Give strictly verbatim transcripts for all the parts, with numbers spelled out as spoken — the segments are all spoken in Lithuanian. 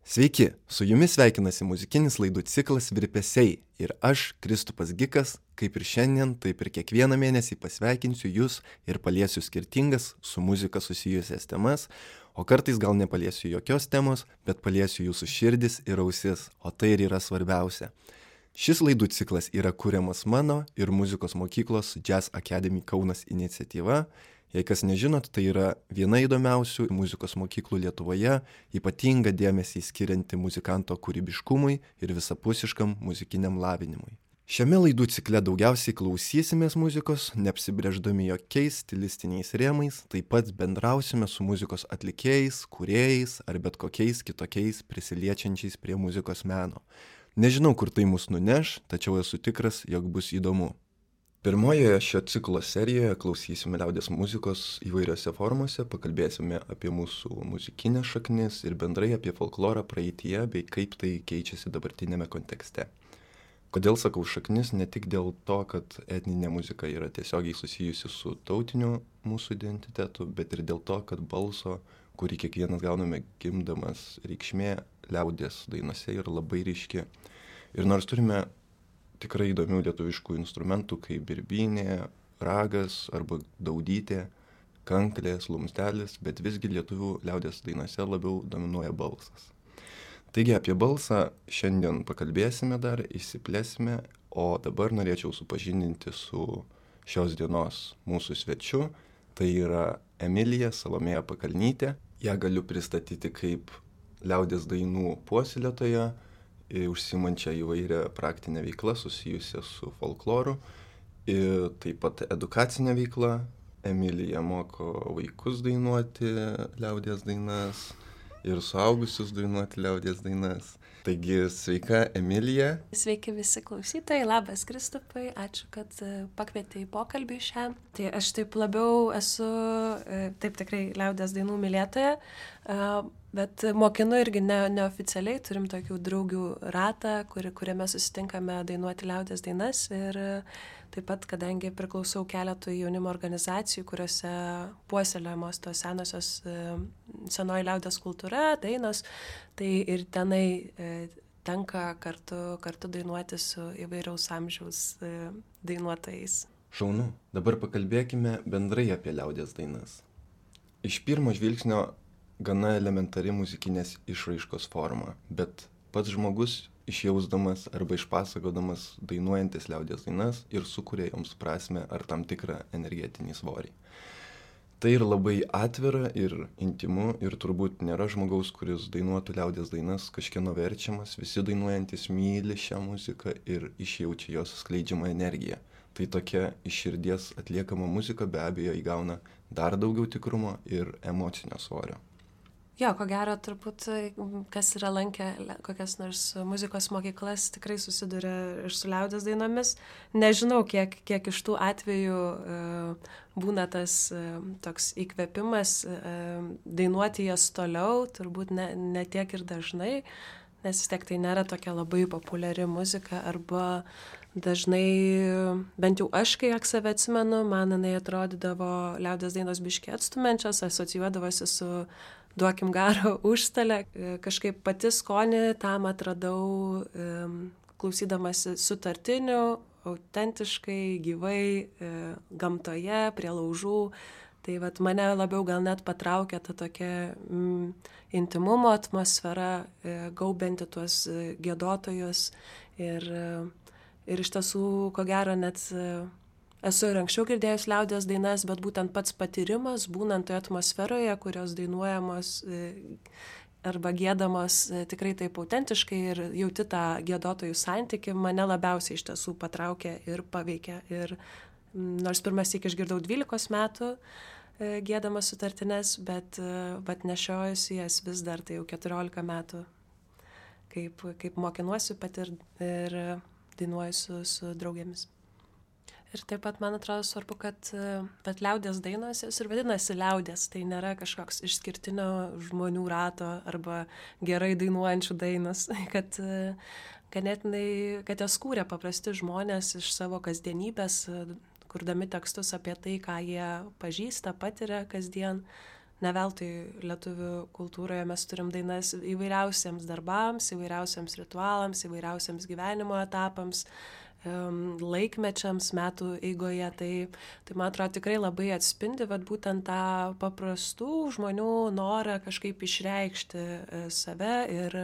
Sveiki, su jumis sveikinasi muzikinis laidų ciklas Virpesiai ir aš, Kristupas Gikas, kaip ir šiandien, taip ir kiekvieną mėnesį pasveikinsiu jūs ir paliesiu skirtingas su muzika susijusias temas, o kartais gal nepaliesiu jokios temos, bet paliesiu jūsų širdis ir ausis, o tai ir yra svarbiausia. Šis laidų ciklas yra kuriamas mano ir muzikos mokyklos Jazz Academy Kaunas iniciatyva. Jei kas nežinot, tai yra viena įdomiausių muzikos mokyklų Lietuvoje, ypatingą dėmesį skirianti muzikanto kūrybiškumui ir visapusiškam muzikiniam lavinimui. Šiame laidų cikle daugiausiai klausysimės muzikos, neapsibrėždami jokiais stilistiniais rėmais, taip pat bendrausime su muzikos atlikėjais, kūrėjais ar bet kokiais kitokiais prisiliečiančiais prie muzikos meno. Nežinau, kur tai mus nuneš, tačiau esu tikras, jog bus įdomu. Pirmojoje šio ciklo serijoje klausysime liaudies muzikos įvairiose formose, pakalbėsime apie mūsų muzikinės šaknis ir bendrai apie folklorą praeityje bei kaip tai keičiasi dabartinėme kontekste. Kodėl sakau šaknis? Ne tik dėl to, kad etninė muzika yra tiesiogiai susijusi su tautiniu mūsų identitetu, bet ir dėl to, kad balso, kurį kiekvienas gauname gimdamas, reikšmė liaudies dainose yra labai ryški. Ir nors turime tikrai įdomių lietuviškų instrumentų kaip birbynė, ragas arba daudytė, kanklės, lumstelis, bet visgi lietuvių liaudies dainose labiau dominuoja balsas. Taigi apie balsą šiandien pakalbėsime dar, išsiplėsime, o dabar norėčiau supažindinti su šios dienos mūsų svečiu. Tai yra Emilija Salomėja Pakalnytė. Ją galiu pristatyti kaip liaudies dainų puoselėtoją, užsiimančią įvairią praktinę veiklą susijusią su folkloru ir taip pat edukacinę veiklą. Emilija moko vaikus dainuoti liaudies dainas ir suaugusius dainuoti liaudies dainas. Taigi, sveika Emilija. Sveiki visi klausytojai, labas Kristupai, ačiū, kad pakvietei į pokalbį šią. Tai aš taip labiau esu, taip tikrai liaudies dainų mylėtoja, bet mokinu irgi ne, neoficialiai, turim tokių draugių ratą, kur, kuriame susitinkame dainuoti liaudies dainas ir taip pat, kadangi priklausau keletui jaunimo organizacijų, kuriuose puoselėjamos tos senosios senoji liaudies kultūra, dainos, tai ir tenai e, tenka kartu, kartu dainuoti su įvairaus amžiaus e, dainuotojais. Šaunu. Dabar pakalbėkime bendrai apie liaudies dainas. Iš pirmo žvilgsnio gana elementari muzikinės išraiškos forma, bet pats žmogus išjausdamas arba išpasakodamas dainuojantis liaudies dainas ir sukuria joms prasmę ar tam tikrą energetinį svorį. Tai ir labai atvira ir intimu ir turbūt nėra žmogaus, kuris dainuotų liaudies dainas kažkieno verčiamas, visi dainuojantis myli šią muziką ir išjaučia jos skleidžiamą energiją. Tai tokia iš širdies atliekama muzika be abejo įgauna dar daugiau tikrumo ir emocinio svorio. Jo, ko gero, turbūt, kas yra lankę kokias nors muzikos mokyklas, tikrai susiduria ir su liaudies dainomis. Nežinau, kiek, kiek iš tų atvejų e, būna tas e, toks įkvėpimas e, dainuoti jas toliau, turbūt ne, ne tiek ir dažnai, nes vis tiek tai nėra tokia labai populiari muzika, arba dažnai, bent jau aš, kai save atsimenu, man jinai atrodydavo liaudies dainos biški atstumenčios, asocijuodavosi su duokim garo užstalę. Kažkaip pati skonį tam atradau klausydamasi sutartinių, autentiškai, gyvai, gamtoje, prie laužų. Tai vat mane labiau gal net patraukė ta tokia mm, intimumo atmosfera, gaubianti tuos giedotojus. Ir, ir iš tiesų, ko gero, net esu ir anksčiau girdėjus liaudies dainas, bet būtent pats patyrimas, būnant toje atmosferoje, kurios dainuojamos arba giedamos tikrai taip autentiškai ir jauti tą giedotojų santykį, mane labiausiai iš tiesų patraukė ir paveikė. Ir nors pirmas syk išgirdau dvylikos metų giedamas sutartines, bet, bet nešiojusi jas vis dar, tai jau keturiolika metų, kaip, kaip mokinuosi pat ir, ir dainuoju su, su draugėmis. Ir taip pat man atrodo svarbu, kad bet liaudės dainos jos ir vadinasi liaudės, tai nėra kažkoks išskirtinio žmonių rato arba gerai dainuojančių dainos, kad ganėtinai, kad jas kūrė paprasti žmonės iš savo kasdienybės, kurdami tekstus apie tai, ką jie pažįsta, patiria kasdien. Ne veltui lietuvių kultūroje mes turim dainas įvairiausiems darbams, įvairiausiems ritualams, įvairiausiems gyvenimo etapams, laikmečiams metų eigoje, tai, tai man atrodo tikrai labai atspindi vat, būtent tą paprastų žmonių norą kažkaip išreikšti save ir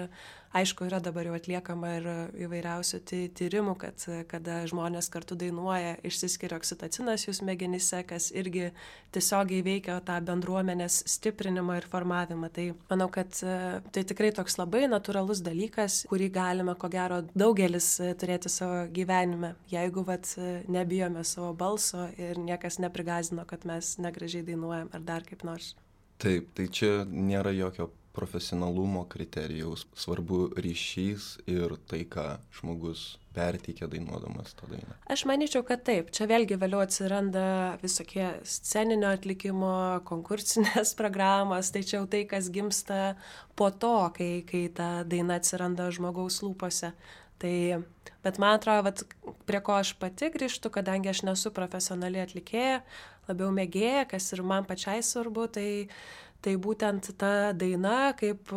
aišku, yra dabar jau atliekama ir įvairiausių tyrimų, kad kada žmonės kartu dainuoja, išsiskiria oksitocinas jų smegenyse, kas irgi tiesiogiai veikia tą bendruomenės stiprinimą ir formavimą. Tai manau, kad tai tikrai toks labai natūralus dalykas, kurį galime, ko gero, daugelis turėti savo gyvenime, jeigu vat, nebijome savo balso ir niekas neprigazino, kad mes negražiai dainuojam ar dar kaip nors. Taip, tai čia nėra jokio profesionalumo kriterijaus, svarbu ryšys ir tai, ką žmogus perteikia dainuodamas tą dainą. Aš manyčiau, kad taip. Čia vėlgi vėliau atsiranda visokie sceninio atlikimo, konkursinės programos, tai čia jau tai, kas gimsta po to, kai, kai ta daina atsiranda žmogaus lūpose. Tai, bet man atrodo, vat, prie ko aš pati grįžtu, kadangi aš nesu profesionali atlikėja, labiau mėgėja, kas ir man pačiai svarbu, tai Tai būtent ta daina kaip,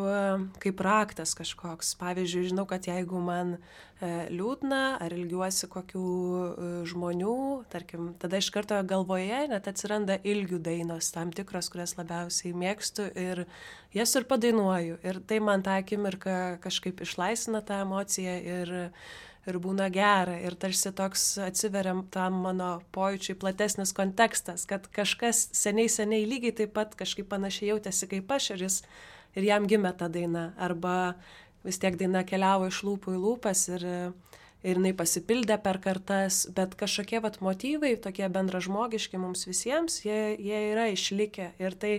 kaip raktas kažkoks. Pavyzdžiui, žinau, kad jeigu man e, liūdna ar ilgiuosi kokių e, žmonių, tarkim, tada iš karto galvoje net atsiranda ilgių dainos, tam tikros, kurias labiausiai mėgstu ir jas ir padainuoju. Ir tai man tą akimirką kažkaip išlaisvina tą emociją ir ir būna gera, ir tarsi toks atsiveriam tam mano pojūčiui platesnis kontekstas, kad kažkas seniai, seniai lygiai taip pat kažkaip panašiai jautėsi kaip aš ir, jis, ir jam gimė ta daina, arba vis tiek daina keliavo iš lūpų į lūpas ir, ir jinai pasipildė per kartas, bet kažkokie vat motyvai, tokie bendražmogiški mums visiems, jie, jie yra išlikę ir tai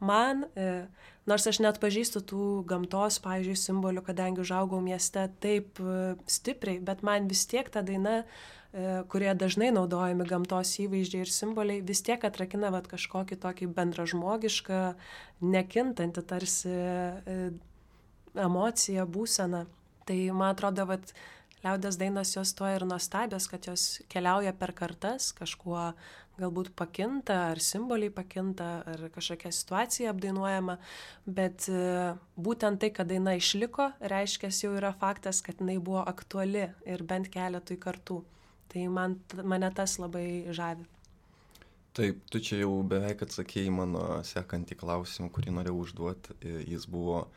man, e, nors aš net pažįstu tų gamtos, pavyzdžiui, simbolių, kadangi užaugau mieste taip e, stipriai, bet man vis tiek ta daina, e, kurie dažnai naudojami gamtos įvaizdžiai ir simboliai, vis tiek atrakina vat kažkokį tokį bendražmogišką, nekintantį tarsi e, emociją, būseną. Tai man atrodo, vat liaudės dainos jos tuo ir nuostabios, kad jos keliauja per kartas, kažkuo galbūt pakinta, ar simboliai pakinta, ar kažkokia situacija apdainuojama, bet būtent tai, kad daina išliko, reiškia, jau yra faktas, kad jinai buvo aktuali ir bent keletui kartų. Tai man, mane tas labai žavi. Taip, tu čia jau beveik atsakėjai mano sekantį klausimą, kurį norėjau užduoti. Jis buvo,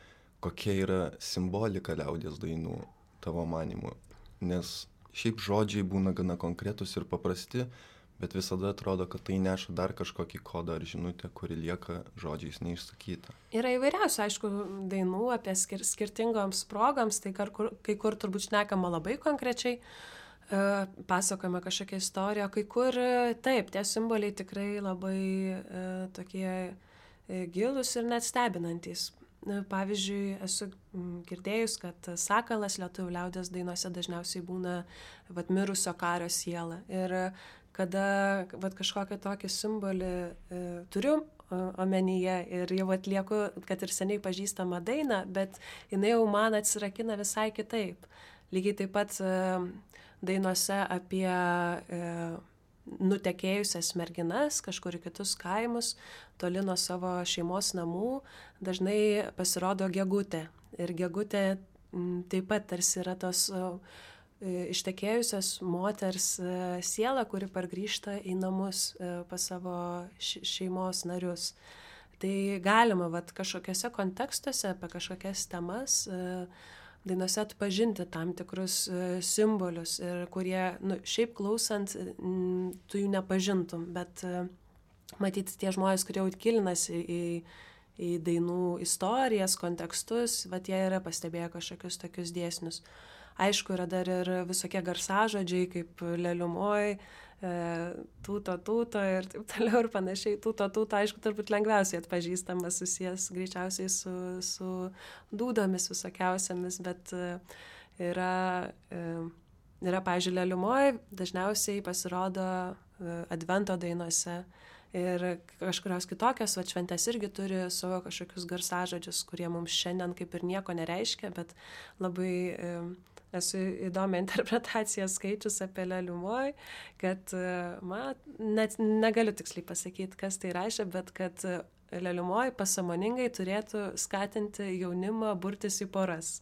kokia yra simbolika liaudės dainų tavo manimu. Nes šiaip žodžiai būna gana konkretus ir paprasti, bet visada atrodo, kad tai neša dar kažkokį kodą ar žinutę, kuri lieka žodžiais neišsakyta. Yra įvairiausių, aišku, dainų apie skir skirtingoms progoms, tai kai kur, kai kur turbūt šnekama labai konkrečiai, e, pasakojama kažkokia istorija, kai kur taip, tie simboliai tikrai labai e, tokie e, gilūs ir net stebinantys. Pavyzdžiui, esu girdėjus, kad sakalas lietuvių liaudės dainose dažniausiai būna vat, mirusio kario siela. Ir kada vat, kažkokią tokį simbolį e, turiu omenyje ir jau atlieku, kad ir seniai pažįstamą dainą, bet jinai jau man atsirakina visai kitaip. Lygiai taip pat e, dainuose apie e, nutekėjusias merginas kažkur į kitus kaimus, toli nuo savo šeimos namų, dažnai pasirodo gegutė. Ir gegutė m, taip pat tarsi yra tos e, ištekėjusios moters e, siela, kuri pargrįžta į namus e, pas savo šeimos narius. Tai galima vat, kažkokiuose kontekstuose apie kažkokias temas e, dainose atpažinti tam tikrus e, simbolius, ir kurie, nu, šiaip klausant, m, tu jų nepažintum, bet e, matyti tie žmonės, kurie jau gilinasi į, į dainų istorijas, kontekstus, vat jie yra pastebėję kažkokius tokius dėsnius. Aišku, yra dar ir visokie garsažodžiai, kaip leliumoj, e, tūto, tūto ir taip toliau ir panašiai. Tūto, tūto, aišku, turbūt lengviausiai atpažįstamas, susijęs greičiausiai su, su dūdomis visokiausiamis, bet e, yra, e, yra, pavyzdžiui, Leliumoj, dažniausiai pasirodo advento dainose ir kažkurios kitokios, va šventės irgi turi savo kažkokius garsažodžius, kurie mums šiandien kaip ir nieko nereiškia, bet labai esu įdomią interpretaciją skaičius apie Leliumoj, kad, man, net negaliu tiksliai pasakyti, kas tai reiškia, bet kad Leliumoj pasąmoningai turėtų skatinti jaunimą burtis į poras.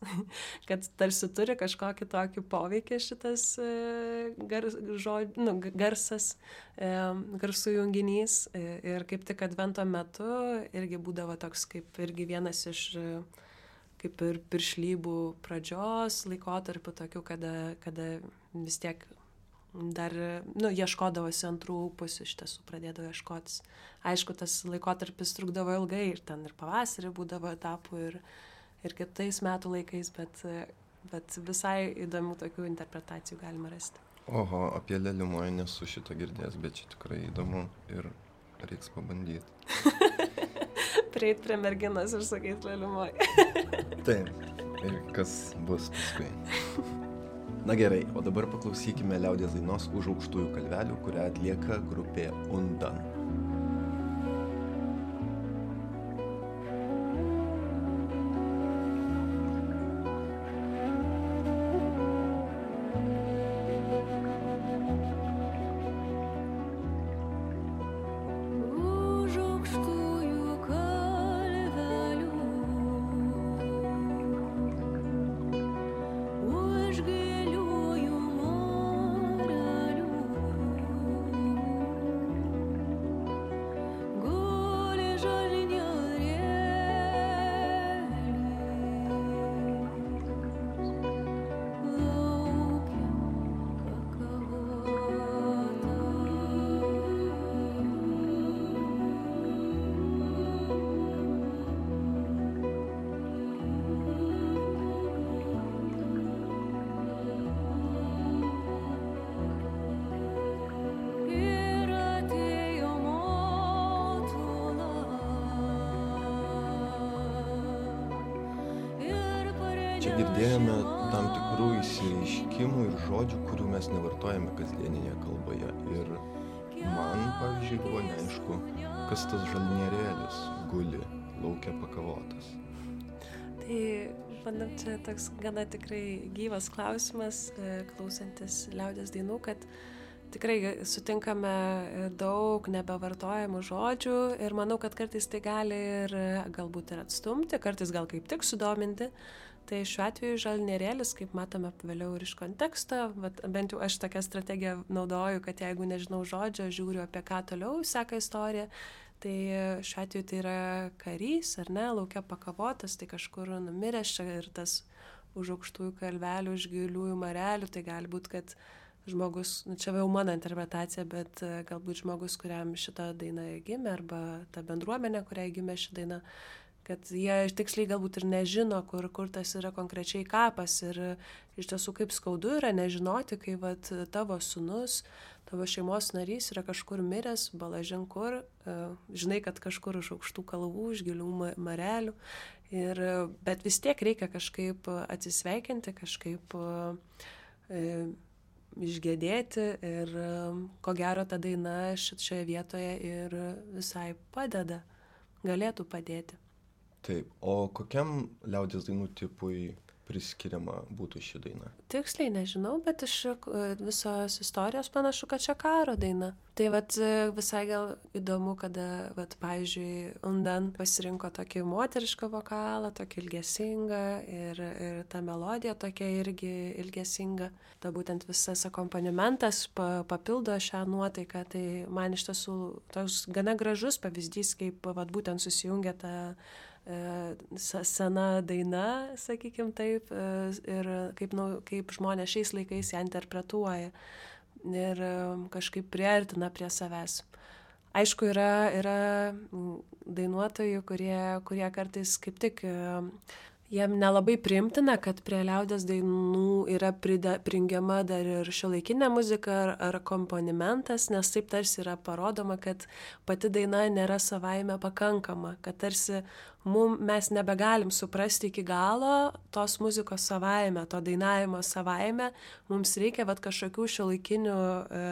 Kad tarsi turi kažkokį tokį poveikį šitas gars, žod, nu, garsas, garsų junginys. Ir kaip tik advento metu irgi būdavo toks kaip irgi vienas iš kaip ir piršlybų pradžios laikotarpių tokių, kada, kada vis tiek dar, nu, ieškodavosi antrų pusių, iš tiesų pradėdavo ieškotis. Aišku, tas laikotarpis trukdavo ilgai ir ten ir pavasarį būdavo etapų ir, ir kitais metų laikais, bet, bet visai įdomių tokių interpretacijų galima rasti. Oho, apie Leliumoj nesu šito girdėjęs, bet čia tikrai įdomu ir reiks pabandyti. Prieit prie merginos ir sakyti Leliumoj. Taip, ir kas bus paskui. Na gerai, o dabar paklausykime liaudies dainos Už aukštųjų kalvelių, kurią atlieka grupė Undan. Čia girdėjome tam tikrų išsireiškimų ir žodžių, kurių mes nevartojame kasdieninėje kalboje. Ir man, pavyzdžiui, buvo neaišku, kas tas žalnierėlis guli lauke pakavotas. Tai, manau, čia toks gana tikrai gyvas klausimas, klausantis liaudies dainų, kad tikrai sutinkame daug nebevartojamų žodžių ir manau, kad kartais tai gali ir galbūt ir atstumti, kartais gal kaip tik sudominti. Tai šiuo atveju žalnierėlis, kaip matome vėliau ir iš konteksto, bet bent jau aš tokią strategiją naudoju, kad jeigu nežinau žodžio, žiūriu apie ką toliau seka istorija, tai šiuo atveju tai yra karys, ar ne, lauke pakavotas, tai kažkur numiręs čia ir tas už aukštųjų kalvelių, už giliųjų marelių, tai gali būti, kad žmogus, nu čia jau mano interpretacija, bet galbūt žmogus, kuriam šita daina gimė, arba ta bendruomenė, kuriai gimė ši daina, kad jie tiksliai galbūt ir nežino, kur, kur tas yra konkrečiai kapas ir iš tiesų kaip skaudu yra nežinoti, kai vat, tavo sūnus, tavo šeimos narys yra kažkur miręs, balažin kur, žinai, kad kažkur už aukštų kalvų, už gilių marelių, ir, bet vis tiek reikia kažkaip atsisveikinti, kažkaip e, išgėdėti ir ko gero ta daina šioje vietoje ir visai padeda, galėtų padėti. Taip, o kokiam liaudies dainų tipui priskiriama būtų ši daina? Tiksliai nežinau, bet iš visos istorijos panašu, kad čia karo daina. Tai vat visai gal įdomu, kada, vat, pavyzdžiui, Undan pasirinko tokį moterišką vokalą, tokį ilgesingą ir, ir ta melodija tokia irgi ilgesinga. Ta būtent visas akompanimentas pa, papildo šią nuotaiką. Tai man iš tiesų toks gana gražus pavyzdys, kaip vat, būtent susijungia ta sena daina, sakykim taip, ir kaip, nu, kaip žmonės šiais laikais ją interpretuoja ir kažkaip priartina prie savęs. Aišku, yra, yra dainuotojų, kurie, kurie kartais kaip tik jiem nelabai priimtina, kad prie liaudies dainų yra pride, prijungiama dar ir šiuolaikinė muzika ar, ar akompanimentas, nes taip tarsi yra parodoma, kad pati daina nėra savaime pakankama, kad tarsi mum, mes nebegalim suprasti iki galo tos muzikos savaime, to dainavimo savaime, mums reikia vat, kažkokių šiuolaikinių e,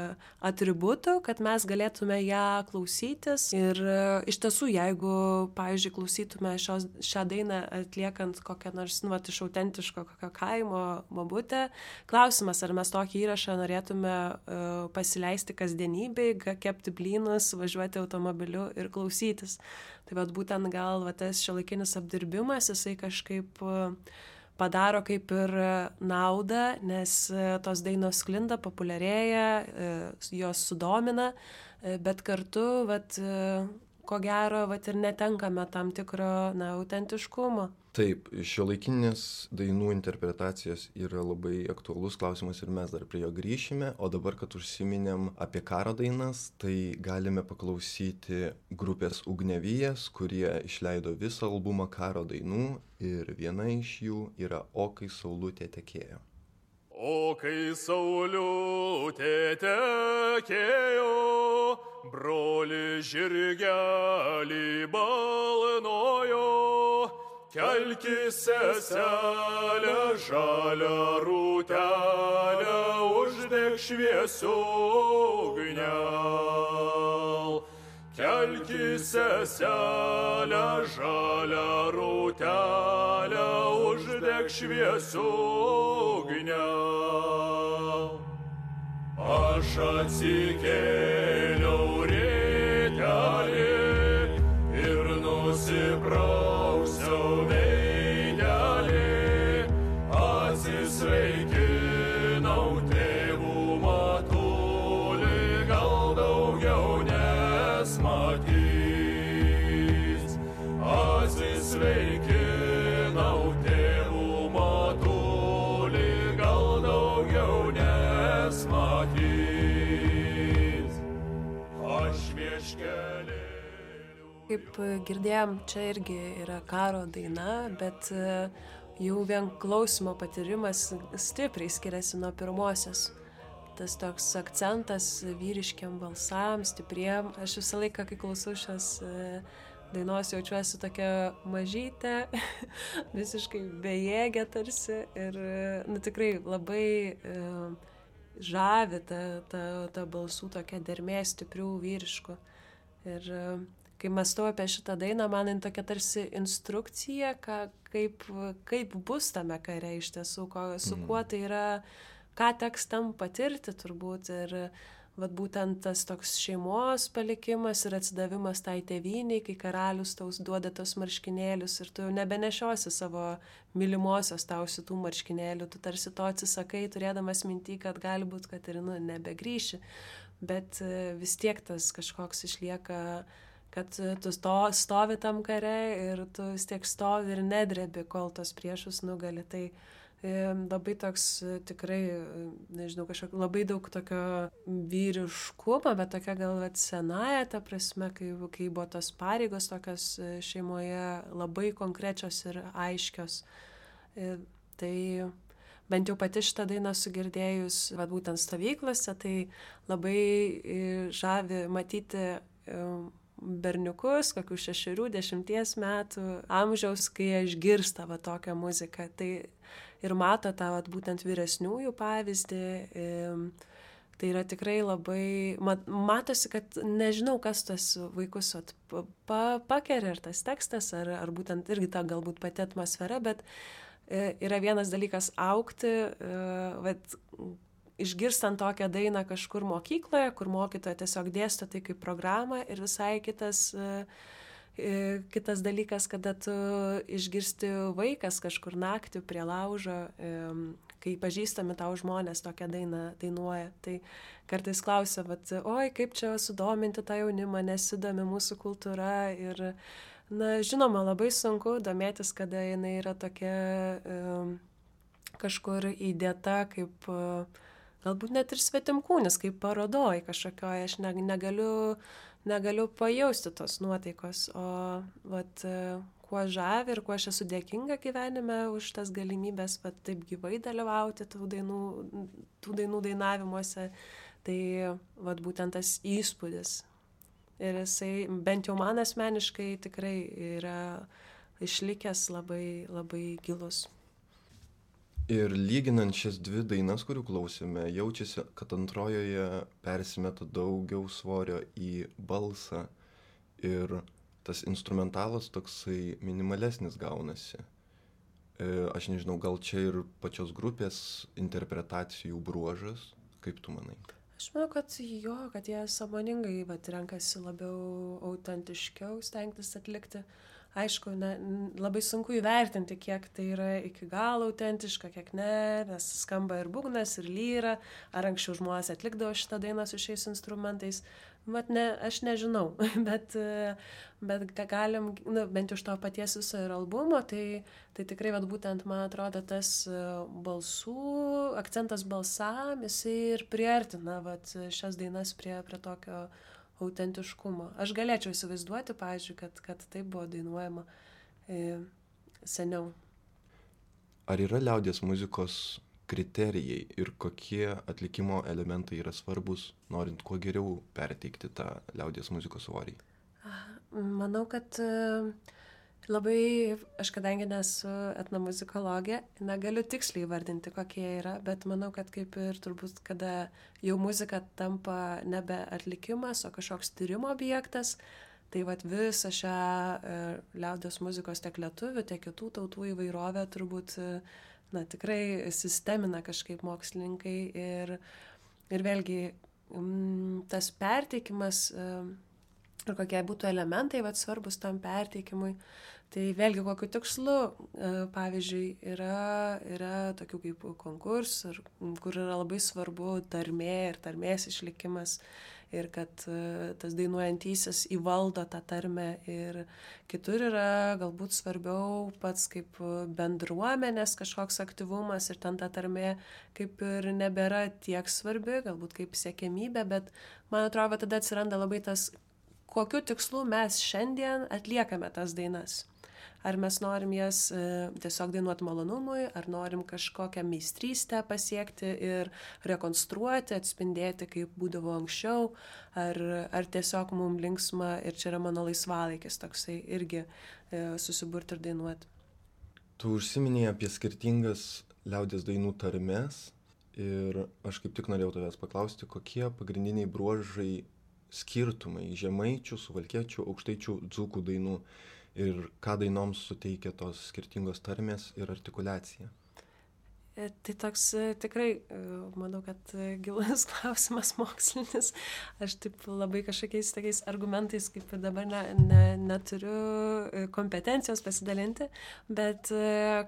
atributų, kad mes galėtume ją klausytis. Ir e, iš tiesų, jeigu, pavyzdžiui, klausytume šios, šią dainą atliekant kokią nors, nu, vat, iš autentiško kokio kaimo bobutę, klausimas, ar mes tokį įrašą norėtume e, pasileisti kasdienybei, kepti blynus, važiuoti automobiliu ir klausytis. Tai vat būtent gal va, tas šiuolaikinis apdirbimas, jisai kažkaip padaro kaip ir naudą, nes tos dainos sklinda, populiarėja, jos sudomina, bet kartu, vat, ko gero, vat, ir netenkame tam tikro na, autentiškumo. Taip, šiuolaikinės dainų interpretacijos yra labai aktualus klausimas ir mes dar prie jo grįšime, o dabar, kad užsiminėm apie karo dainas, tai galime paklausyti grupės Ugniavijas, kurie išleido visą albumą karo dainų ir viena iš jų yra O kai saulutė tekėjo. O kai saulutė tekėjo, broli žirgelį balnojo, kelkis seselę žalią rūtelę, uždek šviesių ugnial. Kelkis seselę žalią rūtelę, uždek šviesių ugnial. Aš atsikėliau rytelį ir nusiprausiau veidelį, atsisveikinau tėvų matulį, gal daugiau nesmatys. Atsisveikinau tėvų matulį, gal daugiau nesmatys. Aš vieškelį. Kaip girdėjom, čia irgi yra karo daina, bet jau vien klausimo patyrimas stipriai skiriasi nuo pirmosios. Tas toks akcentas vyriškiam balsam, stipriem. Aš visą laiką, kai klausau šios dainos, jaučiuosi tokia mažytė, visiškai bejėgė tarsi. Ir nu, tikrai labai žavi ta, ta, ta balsų tokia dermė stiprių vyriškų. Ir kai mąstau apie šitą dainą, man jin tokia tarsi instrukcija, ką, kaip, kaip bus tame kare iš tiesų, ko, su kuo tai yra, ką teks tam patirti turbūt. Ir vat, būtent tas toks šeimos palikimas ir atsidavimas tai tėvynei, kai karalius tau duoda tos marškinėlius ir tu jau nebenešiosi savo mylimosios tau šitų marškinėlių, tu tarsi to atsisakai, turėdamas mintį, kad gali būti, kad ir nu, nebegrįši, bet vis tiek tas kažkoks išlieka, kad tu sto, stovi tam kare ir tu vis tiek stovi ir nedrebi, kol tos priešus nugali. Tai e, labai toks tikrai, nežinau, kažkok labai daug tokio vyriškumo, bet tokia gal vat, senaja, ta prasme, kai, kai buvo tos pareigos tokios šeimoje labai konkrečios ir aiškios. E, tai bent jau pati šitą dainą sugirdėjus, vat, būtent stovyklose, tai labai žavi matyti e, berniukus, kokių šešerių, dešimties metų amžiaus, kai jie išgirsta va tokią muziką. Tai ir mato tą va, būtent vyresniųjų pavyzdį. Tai yra tikrai labai, mat, matosi, kad nežinau, kas tas vaikus at, pa, pakeria, ar tas tekstas, ar, ar būtent irgi ta galbūt pati atmosfera, bet yra vienas dalykas augti, vat, išgirstant tokią dainą kažkur mokykloje, kur mokytoja tiesiog dėsto tai kaip programą, ir visai kitas, kitas dalykas, kada tu išgirsti vaikas kažkur naktį prie laužo, kai pažįstami tau žmonės tokią dainą dainuoja. Tai kartais klausia, vat, oi, kaip čia sudominti tą jaunimą, nesidomi mūsų kultūra. Ir, na, žinoma, labai sunku domėtis, kada jinai yra tokia kažkur įdėta kaip galbūt net ir svetimkūnis, kaip parodoj kažkokioje, aš negaliu, negaliu pajausti tos nuotaikos, o vat, kuo žavi ir kuo aš esu dėkinga gyvenime už tas galimybės, vat, taip gyvai dalyvauti tų dainų, tų dainų dainavimuose, tai vat, būtent tas įspūdis. Ir jisai, bent jau man asmeniškai, tikrai yra išlikęs labai, labai gilus. Ir lyginant šias dvi dainas, kurių klausėme, jaučiasi, kad antrojoje persimeta daugiau svorio į balsą ir tas instrumentalas toksai minimalesnis gaunasi. E, aš nežinau, gal čia ir pačios grupės interpretacijų bruožas, kaip tu manai? Aš manau, kad jo, kad jie sąmoningai vat, renkasi labiau autentiškiau stengtis atlikti. Aišku, ne, labai sunku įvertinti, kiek tai yra iki galo autentiška, kiek ne, nes skamba ir būgnas, ir lyra, ar anksčiau žmonės atlikdavo šitą dainą su šiais instrumentais. Vat ne, aš nežinau, bet, bet galim, nu, bent iš to paties viso ir albumo, tai, tai tikrai vat, būtent, man atrodo, tas balsų, akcentas balsam, jisai ir priartina vat, šias dainas prie, prie tokio autentiškumo. Aš galėčiau įsivaizduoti, pavyzdžiui, kad, kad tai buvo dainuojama e, seniau. Ar yra liaudies muzikos kriterijai ir kokie atlikimo elementai yra svarbus, norint kuo geriau perteikti tą liaudies muzikos svorį? Manau, kad labai, aš kadangi nesu etnomuzikologė, negaliu tiksliai vardinti, kokie yra, bet manau, kad kaip ir turbūt, kada jau muzika tampa nebe atlikimas, o kažkoks tyrimo objektas, tai vat visą šią e, liaudies muzikos tiek lietuvių, tiek kitų tautų įvairovę turbūt, na, tikrai sistemina kažkaip mokslininkai ir, ir vėlgi m, tas perteikimas e, ir kokie būtų elementai vat, svarbus tam perteikimui. Tai vėlgi kokiu tikslu, pavyzdžiui, yra, yra tokių kaip konkursų, kur yra labai svarbu tarmė ir tarmės išlikimas ir kad tas dainuojantysis įvaldo tą tarmę ir kitur yra galbūt svarbiau pats kaip bendruomenės kažkoks aktyvumas ir ten ta tarmė kaip ir nebėra tiek svarbi, galbūt kaip siekiamybė, bet man atrodo, tada atsiranda labai tas, kokiu tikslu mes šiandien atliekame tas dainas. Ar mes norim jas e, tiesiog dainuoti malonumui, ar norim kažkokią meistrystę pasiekti ir rekonstruoti, atspindėti, kaip būdavo anksčiau, ar, ar tiesiog mums linksma ir čia yra mano laisvalaikis toksai irgi e, susiburti ir dainuoti. Tu užsiminėjai apie skirtingas liaudies dainų tarmes ir aš kaip tik norėjau tavęs paklausti, kokie pagrindiniai bruožai skirtumai žemaičių, suvalkiečių, aukštaičių, dzūkų dainų ir ką dainoms suteikia tos skirtingos tarmės ir artikuliacija? Tai toks tikrai, manau, kad gilus klausimas mokslinis. Aš taip labai kažkokiais tokiais argumentais, kaip ir dabar ne, ne, neturiu kompetencijos pasidalinti, bet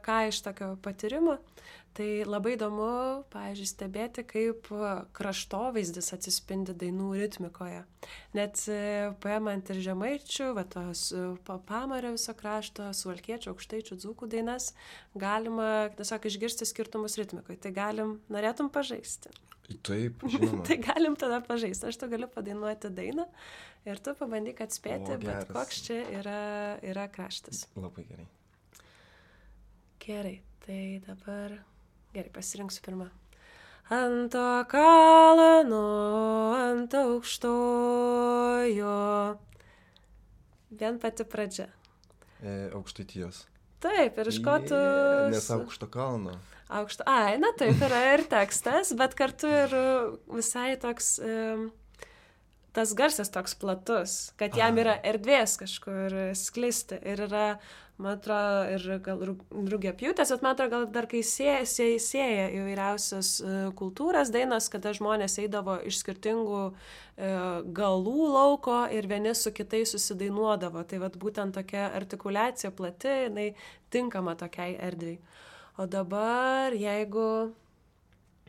ką iš tokio patyrimo, tai labai įdomu, pavyzdžiui, stebėti, kaip kraštovaizdis atsispindi dainų ritmikoje. Net paimant ir žemaičių, va tos pamario viso krašto, suvalkiečių, aukštaičių, dzūkų dainas, galima tiesiog išgirsti skirtumus ritmikoje. Tai galim, norėtum pažaisti. Taip, žinoma. Tai galim tada pažaisti. Aš tu galiu padainuoti dainą ir tu pabandyk atspėti, o, bet koks čia yra, yra kraštas. Labai gerai. Gerai, tai dabar... Gerai, pasirinksiu pirmą. Ant to kalno, ant aukštojo. Vien pati pradžia. E, aukštaitijos. Taip, ir iš ko tu... Yeah, nes aukšto kalno. Aukšto... Ai, na taip, yra ir tekstas, bet kartu ir visai toks... Um, tas garsas toks platus, kad jam yra erdvės kažkur sklisti. Ir yra, man atrodo, ir gal rugiapjūtės, bet man atrodo, gal dar kai sieja, sieja, sieja įvairiausios kultūras dainos, kada žmonės eidavo iš skirtingų e, galų lauko ir vieni su kitais susidainuodavo. Tai vat būtent tokia artikuliacija plati, jinai tinkama tokiai erdvei. O dabar, jeigu...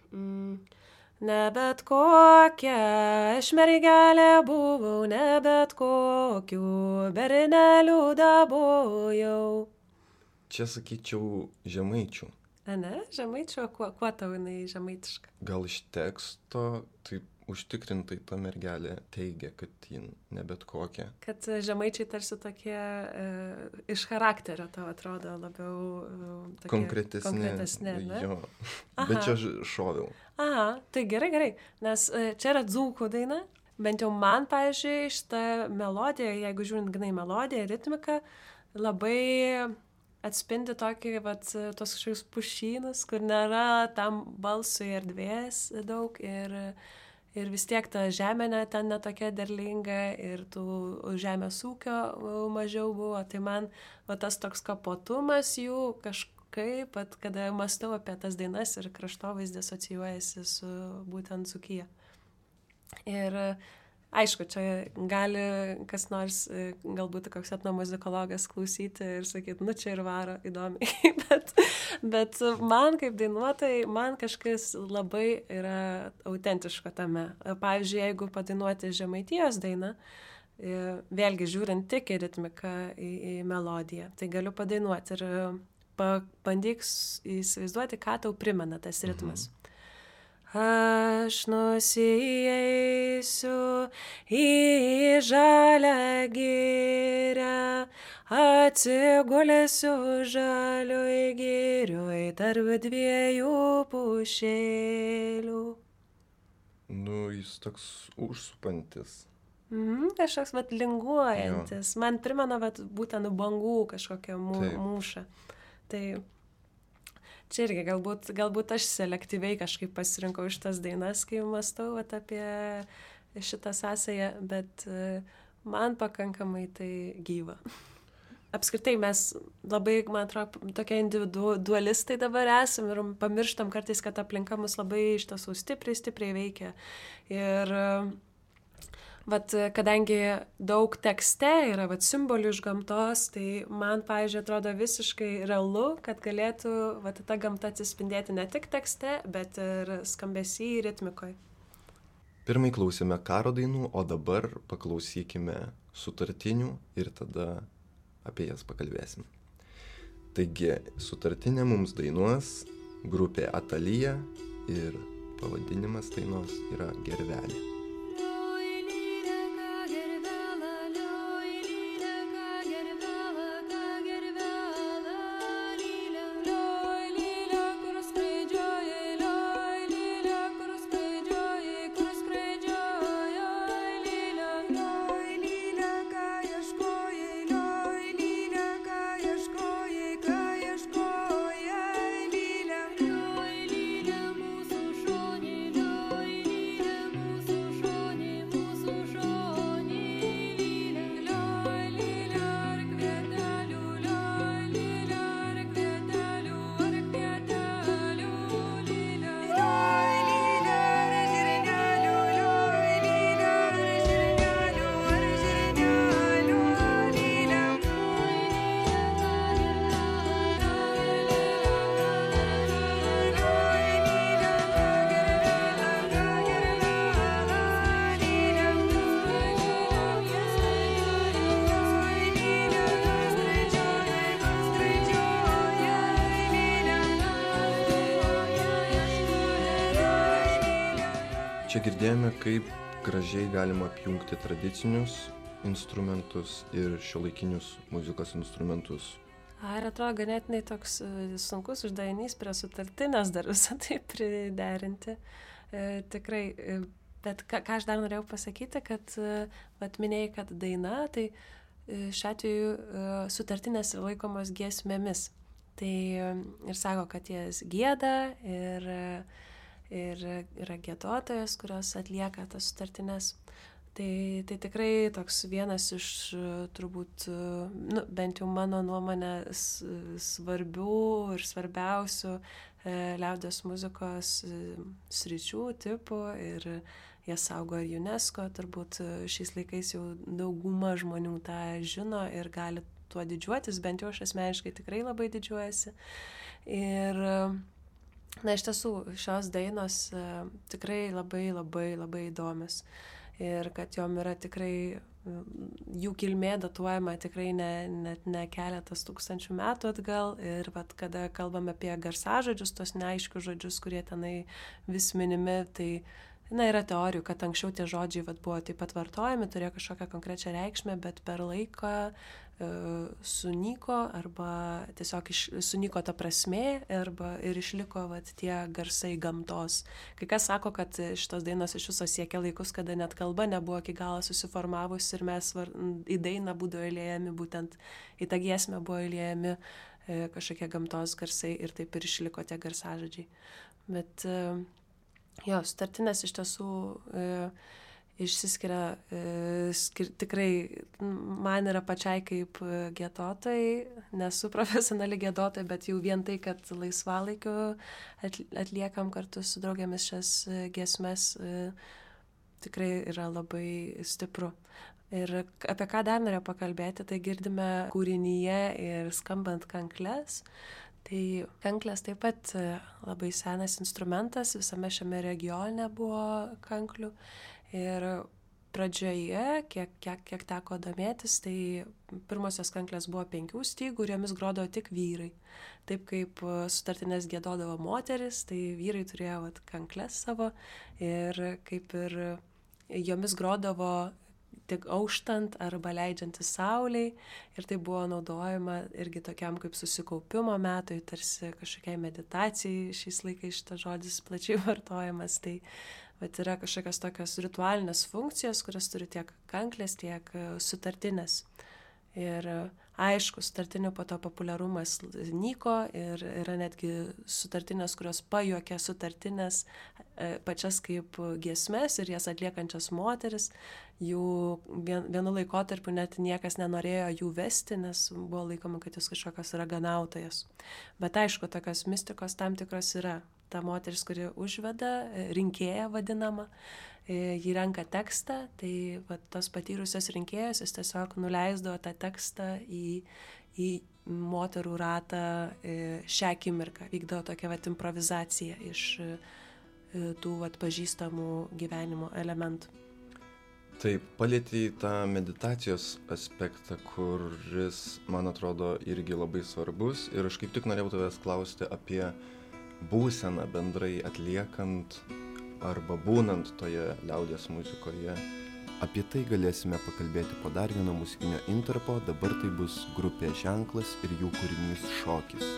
Mm, ne bet kokia aš mergelė buvau, ne bet kokiu berneliu dabojau. Čia sakyčiau žemaičių. A ne, žemaičių, kuo, kuo tau jinai žemaitiška? Gal iš teksto taip užtikrintai ta mergelė teigia, kad ji ne bet kokia. Kad žemaičiai tarsi tokie e, iš charakterio tau atrodo labiau e, tokie konkretesni. Konkretesni, ne? Jo, bet čia šoviau. Aha, tai gerai, gerai, nes e, čia yra dzūkų daina, bent jau man, pavyzdžiui, šitą melodiją, jeigu žiūrint grinai melodiją, ritmiką, labai atspindi tokį, vat, tos kažkokius pušynus, kur nėra tam balsui erdvės daug ir, ir vis tiek ta žemė ne, ten netokia derlinga ir tų žemės ūkio mažiau buvo. Tai man va, tas toks kapotumas jų kažkaip, pat, kada mąstau apie tas dainas ir kraštovaizdis asocijuojasi su būtent Dzūkija. Ir aišku, čia gali kas nors, galbūt koks etnomuzikologas klausyti ir sakyti, nu čia ir varo įdomiai, bet, bet man kaip dainuotojai, man kažkas labai yra autentiško tame. Pavyzdžiui, jeigu padainuoti Žemaitijos dainą, vėlgi žiūrint tik į ritmiką, į, į melodiją, tai galiu padainuoti ir pabandyk įsivaizduoti, ką tau primena tas ritmas. Mhm. Aš nusieisiu į žalią girią, atsigulėsiu žalioj girioj tarp dviejų pušėlių. Nu, jis toks užsupantis. Mhm, kažkoks vat linguojantis. Jo. Man primena vat būtent bangų kažkokią mū, mūšą. Tai čia irgi galbūt, galbūt aš selektyviai kažkaip pasirinkau šitas dainas, kai mąstau vat, apie šitą sąsają, bet man pakankamai tai gyva. Apskritai mes labai, man atrodo, tokie individualistai dabar esam ir pamirštam kartais, kad aplinka mus labai iš tiesų stipriai, stipriai veikia. Ir vat, kadangi daug tekste yra vat, simbolių iš gamtos, tai man, pavyzdžiui, atrodo visiškai realu, kad galėtų vat, ta gamta atsispindėti ne tik tekste, bet ir skambesy ritmikoje. Pirmai klausėme karo dainų, o dabar paklausykime sutartinių ir tada apie jas pakalbėsim. Taigi, sutartinė mums dainuos grupė Atalija ir pavadinimas dainos yra Gervelė. Čia girdėjome, kaip gražiai galima apjungti tradicinius instrumentus ir šiuolaikinius muzikos instrumentus. Ar atrodo ganėtinai toks sunkus uždavinys prie sutartinės dar visą tai priderinti. E, tikrai, e, bet ką, ką aš dar norėjau pasakyti, kad vat, minėjai, kad daina, tai e, šiuo atveju e, sutartinės yra laikomos giesmėmis. Tai e, ir sako, kad jas gieda ir ir yra giedotojas, kurios atlieka tas sutartines. Tai, tai tikrai toks vienas iš turbūt, nu, bent jau mano nuomonė, svarbių ir svarbiausių e, liaudies muzikos sričių, tipų ir jie saugo ir UNESCO. Turbūt šiais laikais jau dauguma žmonių tą žino ir gali tuo didžiuotis, bent jau aš asmeniškai tikrai labai didžiuojasi. Ir na, iš tiesų, šios dainos uh, tikrai labai, labai, labai įdomios. Ir kad jom yra tikrai, jų kilmė datuojama tikrai ne, net ne keletas tūkstančių metų atgal. Ir vat, kada kalbame apie garsažodžius, tos neaiškius žodžius, kurie tenai vis minimi, tai na, yra teorijų, kad anksčiau tie žodžiai vat, buvo taip pat vartojami, turėjo kažkokią konkrečią reikšmę, bet per laiką sunyko arba tiesiog iš, sunyko ta prasmė arba ir išliko vat, tie garsai gamtos. Kai kas sako, kad šitos dainos iš viso siekia laikus, kada net kalba nebuvo iki galo susiformavus ir mes var, į dainą būdavo įliejami, būtent į tą giesmę buvo įliejami e, kažkokie gamtos garsai ir taip ir išliko tie garsažodžiai. Bet e, jo, sutartinės iš tiesų e, išsiskiria e, skir, tikrai man yra pačiai kaip giedotojai, nesu profesionali giedotoja, bet jau vien tai, kad laisvalaikiu atliekam kartu su draugėmis šias giesmes, e, tikrai yra labai stipru. Ir apie ką dar norėjau pakalbėti, tai girdime kūrinyje ir skambant kankles. Tai kanklės taip pat labai senas instrumentas, visame šiame regione buvo kanklių. Ir pradžioje, kiek, kiek, kiek teko domėtis, tai pirmosios kanklės buvo penkių stygų ir jomis grodavo tik vyrai. Taip kaip sutartinės giedodavo moteris, tai vyrai turėjo vat, kanklės savo ir kaip ir jomis grodavo tik auštant arba leidžiantis saulei ir tai buvo naudojama irgi tokiam kaip susikaupimo metui, tarsi kažkokiai meditacijai, šiais laikais šitas žodis plačiai vartojamas, tai vat yra kažkokios tokios ritualinės funkcijos, kurias turi tiek kanklės, tiek sutartinės. Ir aišku, sutartinių po to populiarumas nyko ir yra netgi sutartinės, kurios pajuokia sutartinės pačias kaip giesmes ir jas atliekančias moteris. Jų vien, vienu laikotarpiu net niekas nenorėjo jų vesti, nes buvo laikoma, kad jūs kažkokios raganautojas. Bet aišku, tokios mistikos tam tikros yra. Ta moteris, kuri užveda, rinkėja vadinama, jį renka tekstą, tai va, tos patyrusios rinkėjos jis tiesiog nuleisdavo tą tekstą į, į moterų ratą šią akimirką. Vykdavo tokia va, improvizacija iš tų va, pažįstamų gyvenimo elementų. Taip, palietei tą meditacijos aspektą, kuris, man atrodo, irgi labai svarbus. Ir aš kaip tik norėjau tavęs klausti apie būseną bendrai atliekant arba būnant toje liaudies muzikoje. Apie tai galėsime pakalbėti po dar vieno muzikinio intarpo, dabar tai bus grupė Ženklas ir jų kūrinys Šokis.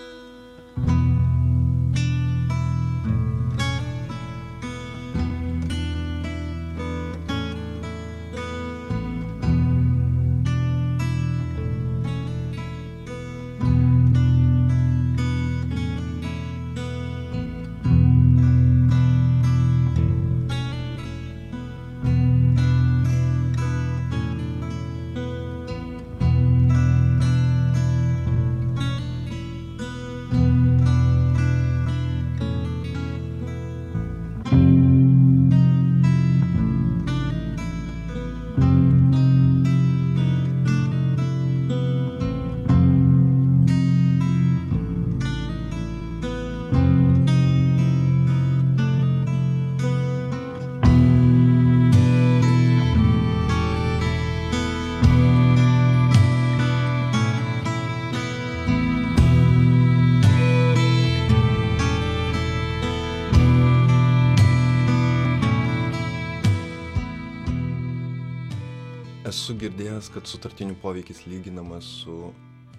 Esu girdėjęs, kad sutartinių poveikis lyginamas su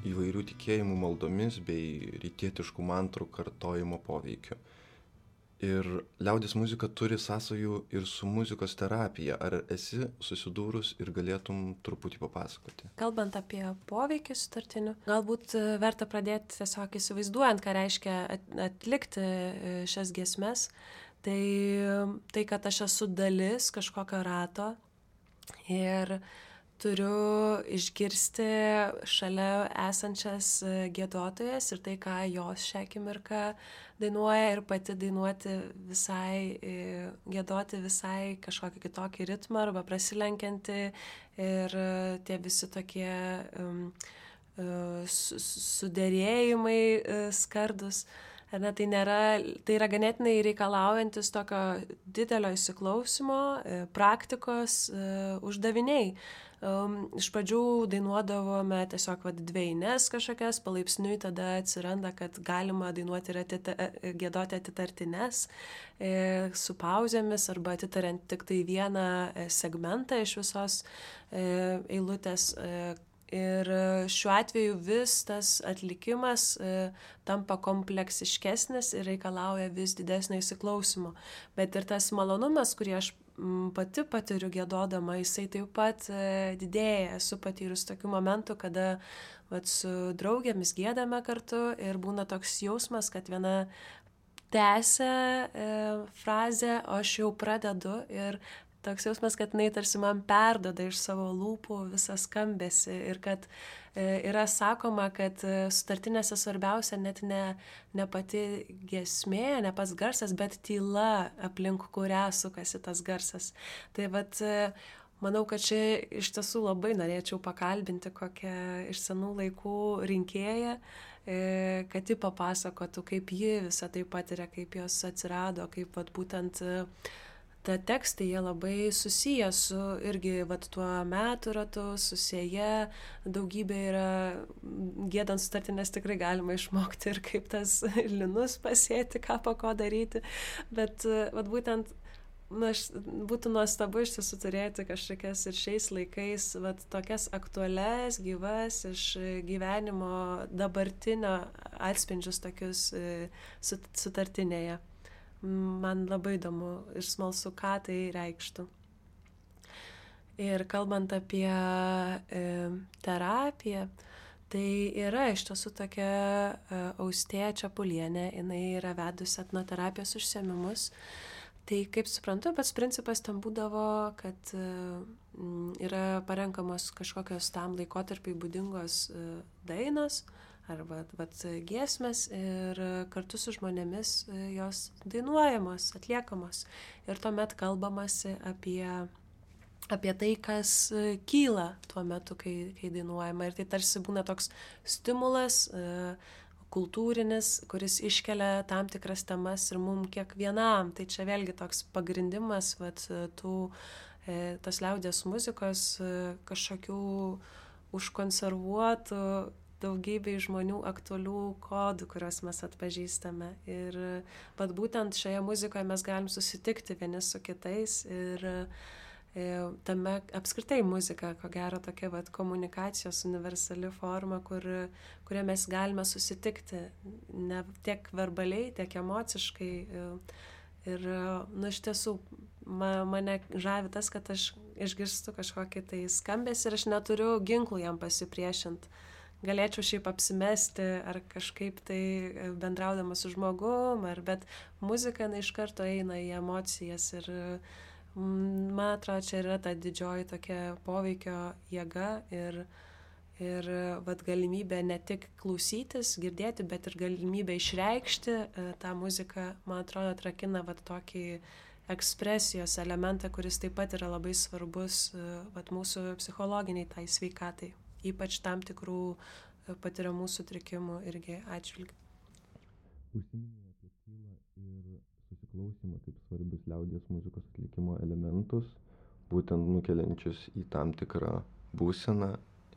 įvairių tikėjimų maldomis bei rytietiškų mantrų kartojimo poveikiu. Ir liaudies muzika turi sąsajų ir su muzikos terapija. Ar esi susidūrus ir galėtum truputį papasakoti? Kalbant apie poveikį sutartinių, galbūt verta pradėti tiesiog įsivaizduojant, ką reiškia atlikti šias giesmes. Tai, tai kad aš esu dalis kažkokio rato ir turiu išgirsti šalia esančias giedotojas ir tai, ką jos šią akimirką dainuoja ir pati dainuoti visai, giedoti visai kažkokį kitokį ritmą arba prasilenkianti ir tie visi tokie um, suderėjimai skardus. Ne, tai, nėra, tai yra ganėtinai reikalaujantis tokio didelio įsiklausimo, praktikos, uždaviniai. Um, iš pradžių dainuodavome tiesiog vad dvejines kažkokias, palaipsniui tada atsiranda, kad galima dainuoti ir atita, giedoti atitartines e, su pauzėmis arba atitariant tik tai vieną segmentą iš visos e, eilutės. E, Ir šiuo atveju vis tas atlikimas e, tampa kompleksiškesnis ir reikalauja vis didesnio įsiklausimo. Bet ir tas malonumas, kurį aš m, pati patiriu giedodama, jisai taip pat e, didėja. Esu patyrus tokių momentų, kada vat, su draugėmis giedame kartu ir būna toks jausmas, kad viena tęsia e, frazę, o aš jau pradedu ir toks jausmas, kad jinai tarsi man perdoda iš savo lūpų visą skambesį ir kad e, yra sakoma, kad e, sutartinėse svarbiausia net ne, ne pati giesmė, ne pats garsas, bet tyla, aplink kurią sukasi tas garsas. Tai vat, e, manau, kad čia iš tiesų labai norėčiau pakalbinti kokią iš senų laikų rinkėją, e, kad ji papasakotų, kaip ji visą tai patiria, kaip jos atsirado, kaip vat, būtent e, ta tekstai, jie labai susiję su irgi vat, tuo metų ratu, susieję, daugybė yra, giedant sutartinės tikrai galima išmokti ir kaip tas linus pasėti, ką po ko daryti, bet vat, būtent na, aš, būtų nuostabu iš tiesų turėti kažkokias ir šiais laikais vat, tokias aktualias, gyvas iš gyvenimo dabartinio atspindžius tokius sutartinėje. Man labai įdomu ir smalsu, ką tai reikštų. Ir kalbant apie e, terapiją, tai yra iš tiesų tokia e, Austėja Čepulienė, jinai yra vedusi etnoterapijos užsiėmimus. Tai kaip suprantu, pats principas ten būdavo, kad e, yra parenkamos kažkokios tam laikotarpiai būdingos e, dainos, arba vat, giesmės ir kartu su žmonėmis jos dainuojamos, atliekamos. Ir tuomet kalbamasi apie, apie tai, kas kyla tuo metu, kai, kai dainuojama. Ir tai tarsi būna toks stimulas kultūrinis, kuris iškelia tam tikras temas ir mum kiekvienam. Tai čia vėlgi toks pagrindimas vat, tų, tos liaudies muzikos kažkokių užkonservuotų daugybei žmonių aktualių kodų, kuriuos mes atpažįstame. Ir pat būtent šioje muzikoje mes galim susitikti vieni su kitais ir e, tame apskritai muzika, ko gero, tokia vat, komunikacijos universali forma, kur, kuria mes galime susitikti ne tiek verbaliai, tiek emociškai. Ir, nu, iš tiesų, ma, mane žavi tas, kad aš išgirstu kažkokį tai skambesį ir aš neturiu ginklų jam pasipriešinti. Galėčiau šiaip apsimesti ar kažkaip tai bendraudama su žmogum, ar, bet muzika na, iš karto eina į emocijas ir man atrodo, čia yra ta didžioji tokia poveikio jėga ir, ir vat, galimybė ne tik klausytis, girdėti, bet ir galimybė išreikšti tą muziką, man atrodo, atrakina vat, tokį ekspresijos elementą, kuris taip pat yra labai svarbus vat, mūsų psichologiniai tai sveikatai. Ypač tam tikrų patiriamų sutrikimų irgi atžvilgių. Užsiminė apie tylą ir susiklausymą kaip svarbius liaudies muzikos atlikimo elementus, būtent nukeliančius į tam tikrą būseną.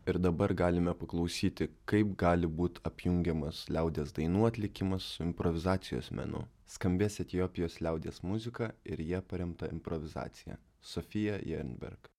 Ir dabar galime paklausyti, kaip gali būti apjungiamas liaudies dainų atlikimas su improvizacijos menu. Skambės Etiopijos liaudies muzika ir jie paremta improvizacija. Sofija Jernberg.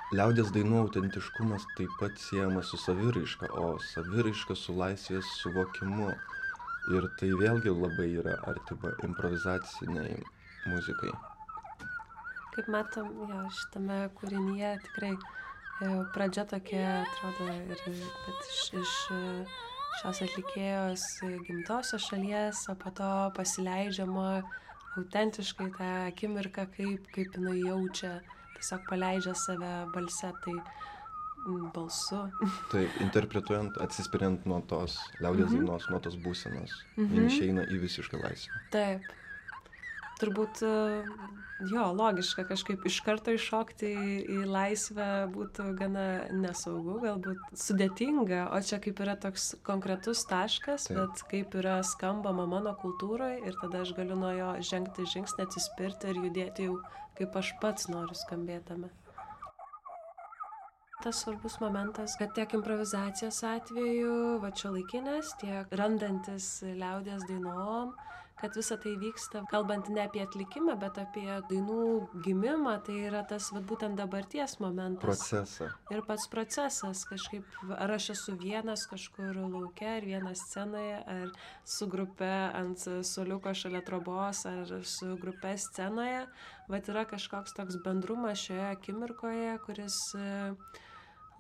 Liaudies dainų autentiškumas taip pat siejamas su saviraiška, o saviraiška su laisvės suvokimu. Ir tai vėlgi labai yra artima improvizaciniai muzikai. Kaip matom, jo, šitame kūrinyje tikrai e, pradžia tokia, atrodo, ir bet iš, iš e, šios atlikėjos gimtosios šalies, o po to pasileidžiama autentiškai tą akimirką, kaip, kaip jinai jaučia, tiesiog paleidžia save balse, tai mm, balsu. Taip, interpretuojant, atsispiriant nuo tos liaudies Mhm. dainos, nuo tos būsenos, Mhm. jin išeina į visišką laisvę. Taip. Turbūt, e, jo, logiška kažkaip iš karto iššokti į, į laisvę būtų gana nesaugu, galbūt sudėtinga, o čia kaip yra toks konkretus taškas, Taip. bet kaip yra skambama mano kultūroje ir tada aš galiu nuo jo žengti žingsnį, atsispirti ir judėti jau kaip aš pats noriu skambėtame. Tas svarbus momentas, kad tiek improvizacijos atveju, va čia laikinės, tiek randantis liaudies dainom, kad visa tai vyksta, kalbant ne apie atlikimą, bet apie dainų gimimą, tai yra tas va, būtent dabarties momentas. Procesą. Ir pats procesas, kažkaip, ar aš esu vienas kažkur lauke, ar vienas scenoje, ar su grupe ant suoliuko šalia trobos, ar su grupe scenoje, bet yra kažkoks toks bendrumas šioje akimirkoje, kuris e,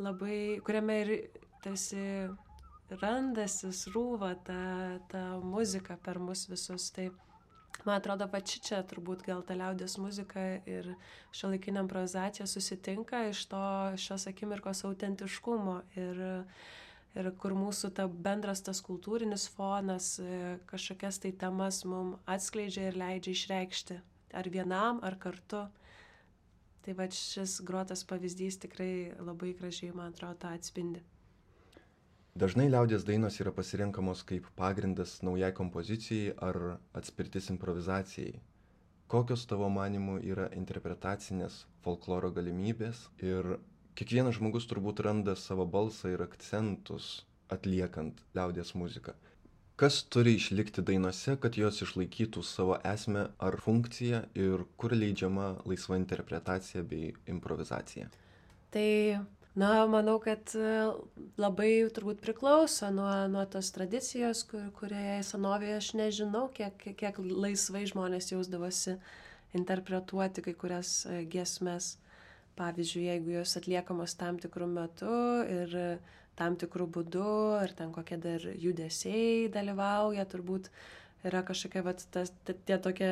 labai, kuriame ir tarsi randasi, srūva ta, ta muzika per mus visus. Tai man atrodo, va čia turbūt gal ta liaudies muzika ir šiuolaikinė improvizacija susitinka iš to šios akimirkos autentiškumo ir, ir kur mūsų ta bendras tas kultūrinis fonas e, kažkokias tai temas mums atskleidžia ir leidžia išreikšti ar vienam, ar kartu. Tai va šis grotas pavyzdys tikrai labai gražiai, man atrodo, tą atspindi. Dažnai liaudies dainos yra pasirenkamos kaip pagrindas naujai kompozicijai ar atspirtis improvizacijai. Kokios tavo manimų yra interpretacinės folkloro galimybės ir kiekvienas žmogus turbūt randa savo balsą ir akcentus atliekant liaudies muziką. Kas turi išlikti dainose, kad jos išlaikytų savo esmę ar funkciją ir kur leidžiama laisva interpretacija bei improvizacija? Tai, na, manau, kad e, labai turbūt priklauso nuo, nuo tos tradicijos, kur, kurioje senovėje aš nežinau, kiek, kiek, kiek laisvai žmonės jausdavosi interpretuoti kai kurias e, giesmes. Pavyzdžiui, jeigu jos atliekamos tam tikrų metų ir tam tikrų būdų, ir ten kokie dar judesiai dalyvauja, turbūt yra kažkokia, vat, tas, tie tokie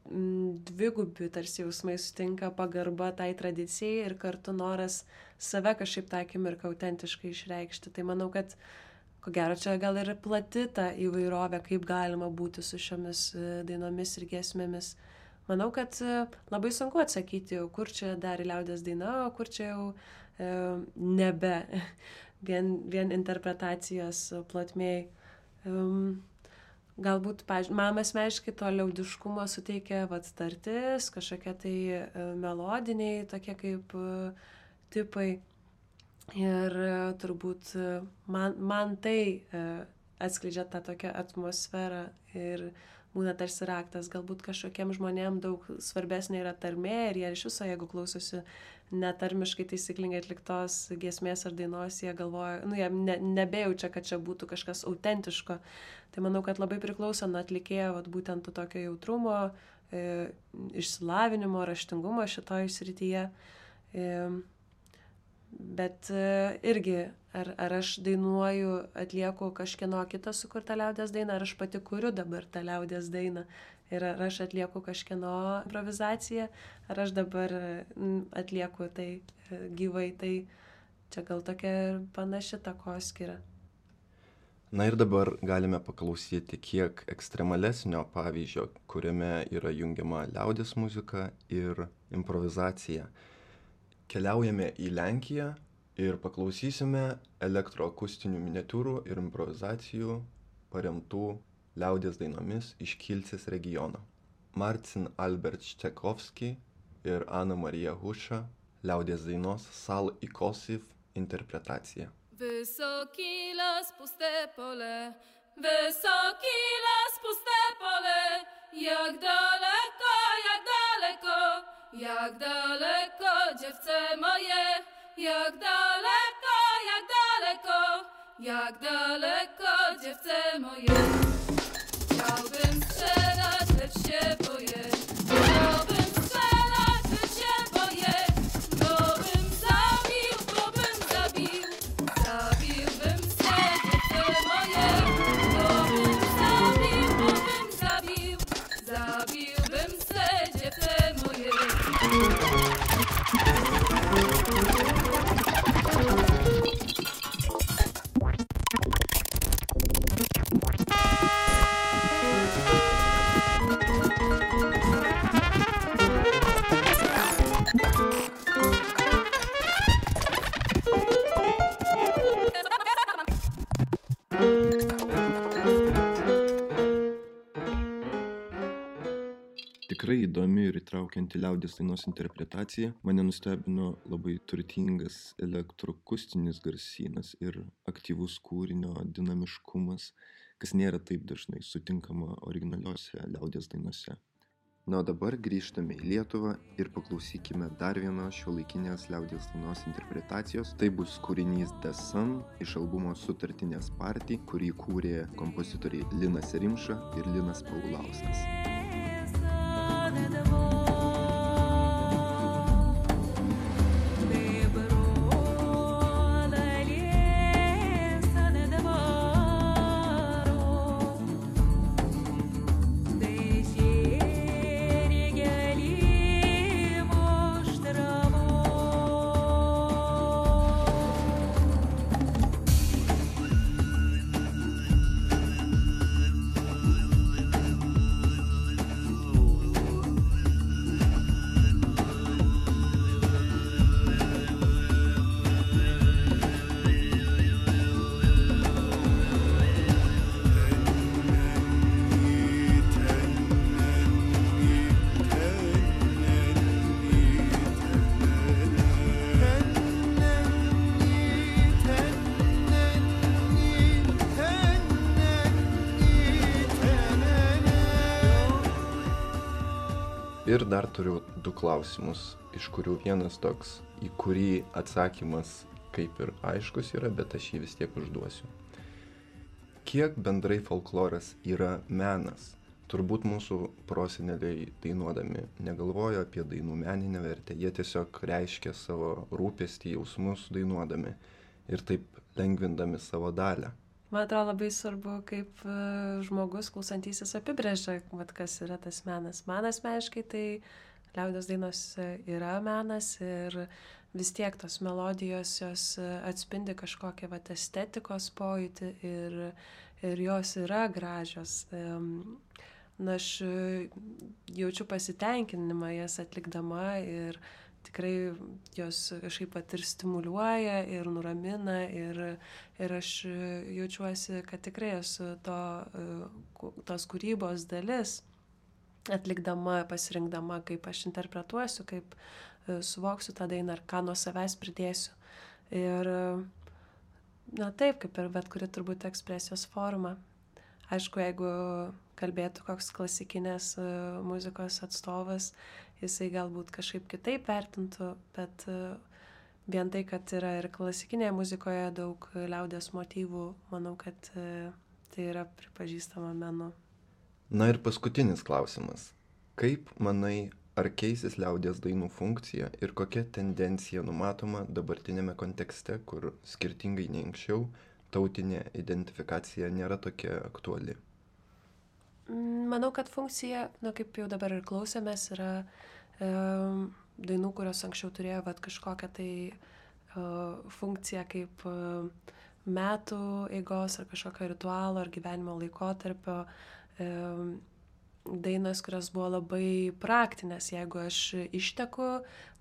m, dvigubi tarsi jausmai sutinka, pagarba tai tradicijai ir kartu noras save kažkaip tą akimirką autentiškai išreikšti. Tai manau, kad ko gero čia gal ir plati ta įvairovė, kaip galima būti su šiomis dainomis ir giesmėmis. Manau, kad labai sunku atsakyti, kur čia dar liaudies daina, o kur čia jau e, nebe vien, vien interpretacijos plotmėj. Um, galbūt, pažiūrėjau, man asmeniškai to liaudiškumo suteikia vat tartis, kažkokie tai e, melodiniai, tokie kaip e, tipai. Ir e, turbūt e, man, man tai e, atskleidžia tą tokią atmosferą ir būna tarsi raktas. Galbūt kažkokiem žmonėm daug svarbesnė yra tarmė ir jie iš viso, jeigu klausosi netarmiškai taisyklingai atliktos giesmės ar dainos, jie galvoja, nu, jie ne, nebejaučia, kad čia būtų kažkas autentiško. Tai manau, kad labai priklauso nuo atlikėjo, vat, būtent to tokio jautrumo, e, išsilavinimo, raštingumo šitoj srityje. E, Bet irgi, ar, ar aš dainuoju, atlieku kažkieno kitą sukurtą liaudies dainą, ar aš pati kuriu dabar tą liaudies dainą. Ir ar aš atlieku kažkieno improvizaciją, ar aš dabar atlieku tai gyvai, tai čia gal tokia panaši takoskyra. Na ir dabar galime paklausyti kiek ekstremalesnio pavyzdžio, kuriame yra jungiama liaudies muzika ir improvizacija. Keliaujame į Lenkiją ir paklausysime elektroakustinių miniatiūrų ir improvizacijų paremtų liaudies dainomis iš Kielcės regiono. Marcin Albert Ščekovski ir Ana Marija Huša liaudies dainos Sal i Kosiv interpretacija. Wysoki las, puste pole, wysoki las, puste pole, jak daleko, jak daleko jak daleko, dziewczę moje, jak daleko, jak daleko, jak daleko, dziewczę moje. Chciałbym strzelać, lecz się boję. Chciałbym strzelać, lecz się boję. Bo bym zabił, bo bym zabił. Zabiłbym se, dziewczę moje. Bo bym zabił, bo bym zabił. Zabiłbym se, dziewczę moje. Tikrai įdomi ir įtraukianti liaudies dainos interpretacija. Mane nustebino labai turtingas elektroakustinis garsynas ir aktyvus kūrinio dinamiškumas, kas nėra taip dažnai sutinkama originaliuose liaudies dainose. Na, o dabar grįžtame į Lietuvą ir paklausykime dar vienos šiuolaikinės liaudies dainos interpretacijos. Tai bus kūrinys The Sun iš albumo Sutartinės Party, kurį kūrė kompozitoriai Linas Rimša ir Linas Paulauskas. Ir dar turiu du klausimus, iš kurių vienas toks, į kurį atsakymas kaip ir aiškus yra, bet aš jį vis tiek užduosiu. Kiek bendrai folkloras yra menas? Turbūt mūsų proseneliai dainuodami negalvojo apie dainų meninę vertę, jie tiesiog reiškia savo rūpestį, jausmus dainuodami ir taip lengvindami savo dalią. Man atrodo labai svarbu, kaip žmogus klausantysis apibrėžia, vat, kas yra tas menas. Man asmeniškai tai liaudies dainos yra menas ir vis tiek tos melodijos jos atspindi kažkokią vat, estetikos pojūtį ir, ir jos yra gražios. Na, aš jaučiu pasitenkinimą jas atlikdama ir tikrai jos kažkaip pat ir stimuliuoja ir nuramina ir, ir aš jaučiuosi, kad tikrai esu to, tos kūrybos dalis, atlikdama, pasirinkdama, kaip aš interpretuosiu, kaip suvoksiu tą dainą ar ką nuo savęs pridėsiu. Ir na taip, kaip ir bet kuri turbūt ekspresijos forma. Aišku, jeigu kalbėtų koks klasikinės muzikos atstovas, jisai galbūt kažkaip kitaip vertintų, bet vien tai, kad yra ir klasikinėje muzikoje daug liaudies motyvų, manau, kad tai yra pripažįstama menu. Na ir paskutinis klausimas. Kaip manai, ar keisis liaudies dainų funkcija ir kokia tendencija numatoma dabartinėme kontekste, kur skirtingai nei anksčiau tautinė identifikacija nėra tokia aktuali? Manau, kad funkcija, nu, kaip jau dabar ir klausėmės, yra e, dainų, kurios anksčiau turėjo vat, kažkokią tai e, funkciją kaip e, metų eigos ar kažkokio ritualo ar gyvenimo laikotarpio. E, dainos, kurios buvo labai praktinės. Jeigu aš išteku,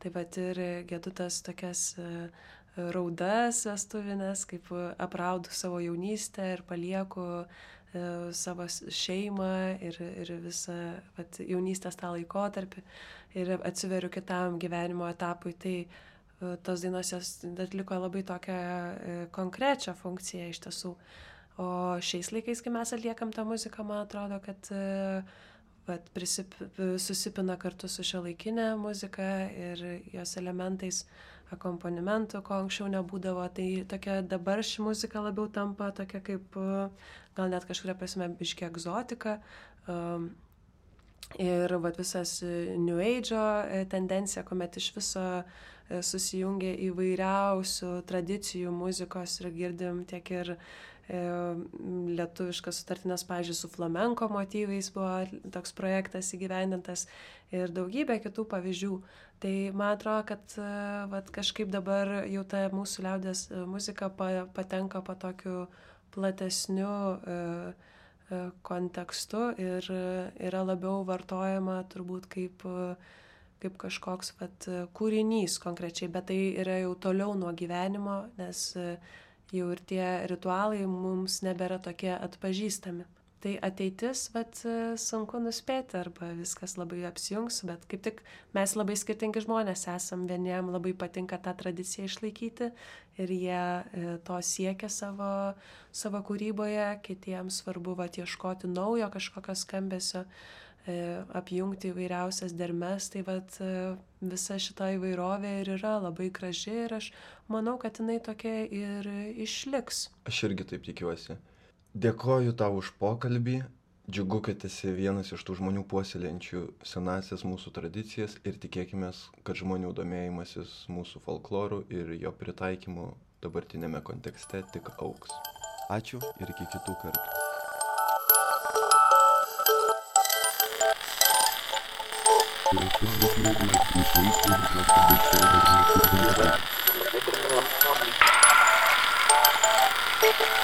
tai vat ir gedu tas tokias e, raudas vestuvinės, kaip apraudu savo jaunystę ir palieku savo šeimą ir, ir visą vat, jaunystės tą laikotarpį ir atsiveriu kitam gyvenimo etapui, tai tos dainos jos atliko labai tokią konkrečią funkciją iš tiesų. O šiais laikais, kai mes atliekam tą muziką, man atrodo, kad vat, prisip, susipina kartu su šiuolaikinė muzika ir jos elementais, akompanimentų, ko anksčiau nebūdavo. Tai tokia dabar ši muzika labiau tampa tokia kaip, gal net kažkuria prasme, biški egzotika. Um, ir vat, visas New Age'o tendencija, kuomet iš viso susijungia įvairiausių tradicijų muzikos ir girdim tiek ir e, lietuviškas sutartinės, pavyzdžiui, su flamenko motyvais buvo toks projektas įgyvendintas ir daugybė kitų pavyzdžių. Tai man atrodo, kad vat, kažkaip dabar jau ta mūsų liaudės muzika pa, patenka po tokiu platesniu e, e, kontekstu ir yra labiau vartojama turbūt kaip kaip kažkoks vat, kūrinys konkrečiai, bet tai yra jau toliau nuo gyvenimo, nes jau ir tie ritualai mums nebėra tokie atpažįstami. Tai ateitis, vat, sunku nuspėti, arba viskas labai apsijungs, bet kaip tik mes labai skirtingi žmonės esam, vieniem labai patinka tą tradiciją išlaikyti ir jie to siekia savo, savo kūryboje, kitiems svarbu vat, ieškoti naujo kažkokio skambesio, apjungti įvairiausias dermes, tai vat, visa šita įvairovė ir yra labai graži ir aš manau, kad jinai tokia ir išliks. Aš irgi taip tikiuosi. Dėkoju tau už pokalbį, džiugu, kad esi vienas iš tų žmonių puoselėjančių senasias mūsų tradicijas ir tikėkime, kad žmonių domėjimasis mūsų folkloru ir jo pritaikymu dabartinėme kontekste tik augs. Ačiū ir iki kitų kartų. Thank you.